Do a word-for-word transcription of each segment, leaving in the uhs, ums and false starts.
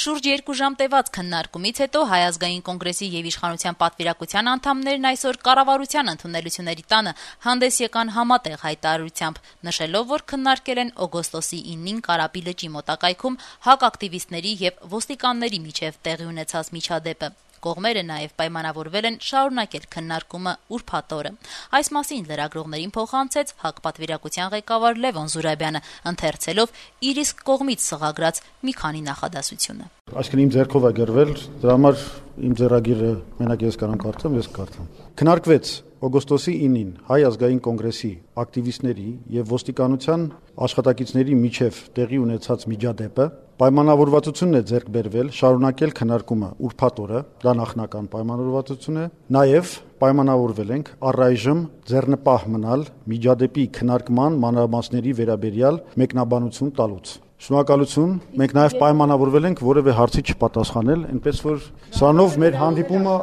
Շուրջ երկու ժամ տևած քննարկումից հետո Հայ ազգային կոնգրեսի եւ իշխանության պատվիրակության անդամներն այսօր կառավարության ընդունելությունների տանը հանդես եկան համատեղ հայտարարությամբ, նշելով, որ քննարկել են օգոստոսի իննին Կարապի լճի մոտակայքում ՀԱԿ ակտիվիստների եւ ոստիկանների միջեւ տեղի ունեցած միջադեպը։ Կողմերը նաև պայմանավորվել են շարունակել քննարկումը ուրբաթ օրը։ Այս մասին լրագրողներին փոխանցեց ՀԱԿ պատվիրակության ղեկավար Լևոն Զուրաբյանը, ընթերցելով իր իսկ կողմից սղագրած մի քանի նախադասությունը։ Այսինքն իմ ձեռքով է գրվել, դրա համար իմ ձեռագիրը մենակ ես կարող կարդամ, ես կարդամ։ Քննարկվեց օգոստոսի իննին Հայ ազգային կոնգրեսի ակտիվիստների եւ ոստիկանության աշխատակիցների միջև տեղի ունեցած միջադեպը, պայմանավորվածությունն է ձեռք բերվել շարունակել քննարկումը ուրբաթ օրը, դա նախնական պայմանավորվածություն է, նաեւ պայմանավորվել ենք առայժմ ձեռնպահ մնալ միջադեպի քննարկման մանրամասների վերաբերյալ մեկնաբանություն տալուց։ Շնորհակալություն, մենք նաև պայմանավորվել ենք որևէ հարցի չպատասխանել, այնպես որ սրանով մեր հանդիպումը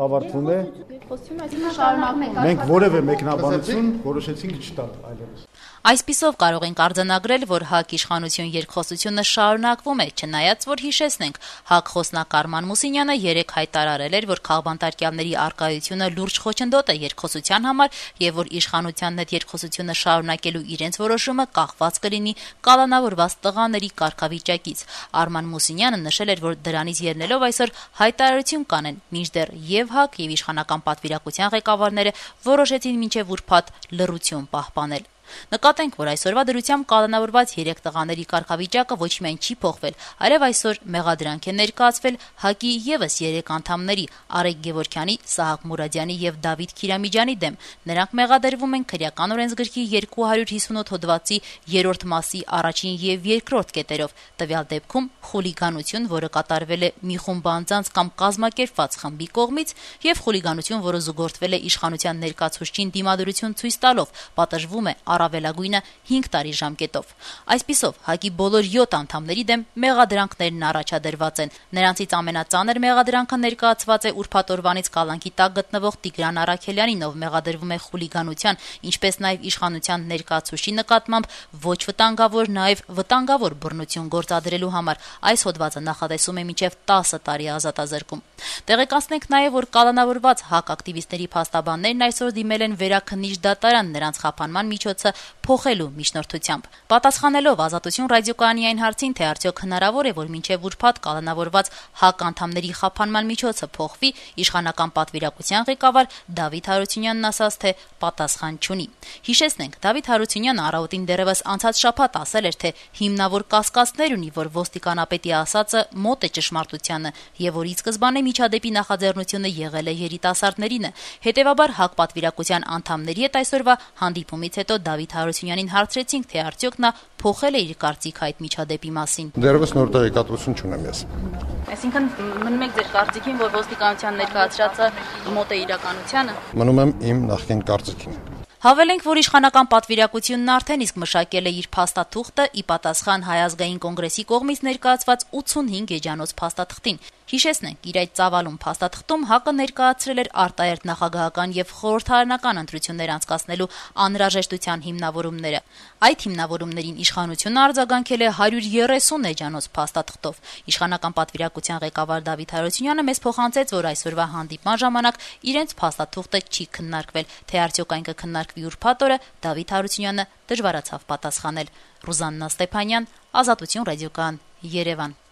ավարտվում է։ Մենք որևէ մեկնաբանություն որոշեցինք չտալ այլևս։ Այսպիսով կարող ենք արձանագրել, որ ՀԱԿ իշխանություն երկխոսությունը շարունակվում է, չնայած որ հիշեցնենք, ՀԱԿ խոսնակ Արման Մուսինյանը երեկ հայտարարել էր, որ քաղբանտարկյալների առկայությունը լուրջ խոչընդոտ է երկխոսության համար եւ որ իշխանությանն այդ երկխոսությունը շարունակելու իրենց որոշումը կախված կլինի կալանավորված տղաների կարգավիճակից։ Արման Մուսինյանը նշել էր, որ դրանից ելնելով այսօր հայտարարություն կանեն, մինչդեռ եւ ՀԱԿ եւ իշխանական պատվիրակության ղեկավարները որոշեցին մինչեւ ուրբաթ լռություն պահպանել։ Նկատենք, որ այսօրվա դրությամբ կալանավորված երեք տղաների կարգավիճակը ոչ միայն չի փոխվել, այլև այսօր մեղադրանք է ներկայացվել ՀԱԿ-ի եւս երեք անդամների՝ Արեգ Գևորգյանի, Սահակ Մուրադյանի եւ Դավիթ Քիրամիջյանի դեմ։ Նրանք մեղադրվում են քրեական օրենսգրքի երկու հարյուր հիսունութ հոդվածի երրորդ մասի առաջին եւ երկրորդ կետերով, տվյալ դեպքում խուլիգանություն, որը կատարվել է մի խումբ անձանց կամ կազմակերպված խմբի կողմից, եւ խուլիգանություն, որը զուգորդվել է իշխանության ներկայացուցչին դիմադրություն ցույց տալով, պատժվում է առավելագույնը հինգ տարի ժամկետով։ Այսպիսով, ՀԱԿ-ի բոլոր յոթ անդամների դեմ մեղադրանքներն առաջադրված են։ Նրանցից ամենածանր մեղադրանքը ներկայացված է ուրբաթ օրվանից կալանքի տակ գտնվող Տիգրան Առաքելյանին, ով մեղադրվում է խուլիգանության, ինչպես նաև իշխանության ներկայացուցչի նկատմամբ ոչ վտանգավոր, նաև վտանգավոր բռնություն գործադրելու համար։ Այս հոդվածը նախատեսում է մինչև տասը տարի ազատազրկում։ Տեղեկացնենք նաև, որ կալանավորված ՀԱԿ ակտիվիստների փաստաբաններն այսօր դիմել են վերաքննիչ դատարան նրանց խափանման միջոցը փոխելու միջնորդությամբ։ Պատասխանելով Ազատություն ռադիոկայանի այն հարցին, թե արդյոք հնարավոր է, որ մինչև ուրբաթ կալանավորված ՀԱԿ անդամների խափանման միջոցը փոխվի, իշխանական պատվիրակության ղեկավար Դավիթ Հարությունյանն ասաց, թե պատասխան չունի։ Հիշեցնենք, Դավիթ Հարությունյանը առավոտին դեռևս անցած շաբաթ ասել էր, թե հիմնավոր կասկածներ ունի, որ ոստիկանապետի ասածը մոտ է ճշմարտությանը եւ որ ի սկզբանե միջադեպի նախաձեռնությունը եղել է երիտասարդներինը։ Հետևաբար ՀԱԿ պատվիրակության անդամների հետ այսօրվա հանդիպումից հետո Դավիթ Հարությունյանին հարցրեցինք, թե արդյոք նա փոխել է իր կարծիքը այդ միջադեպի մասին։ Դեռևս նոր տեղեկատվություն չունեմ ես։ Այսինքն մնում եք ձեր կարծիքին, որ ոստիկանության ներկայացրածը մոտ է իրականությանը։ Մնում եմ իմ նախկին կարծիքին։ Հավելենք, որ իշխանական պատվիրակությունն արդեն իսկ մշակել է իր փաստաթուղթը ի պատասխան Հայ ազգային կոնգրեսի կողմից ներկայացված ութսունհինգ էջանոց փաստաթղթին։ Հիշեցնենք, իր այդ ծավալուն փաստաթղթում ՀԱԿ-ը ներկայացրել էր արտահերթ նախագահական եւ խորհրդարանական ընտրություններ անցկացնելու անհրաժեշտության հիմնավորումները։ Այդ հիմնավորումներին իշխանությունը արձագանքել է հարյուր երեսուն էջանոց փաստաթղթով։ Իշխանական պատվիրակության ղեկավար Դավիթ Հարությունյանը մեզ փոխանցեց, որ այսօրվա հանդիպման ժամանակ իրենց փաստաթուղթը չի քննարկվել, թե արդյոք այն կքննարկվի ուրբաթ օրը, Դավիթ Հարությունյանը դժվարացավ պատասխանել։ Ռուզաննա Ստեփանյան, Ազատություն ռադիոկայան, Երևան։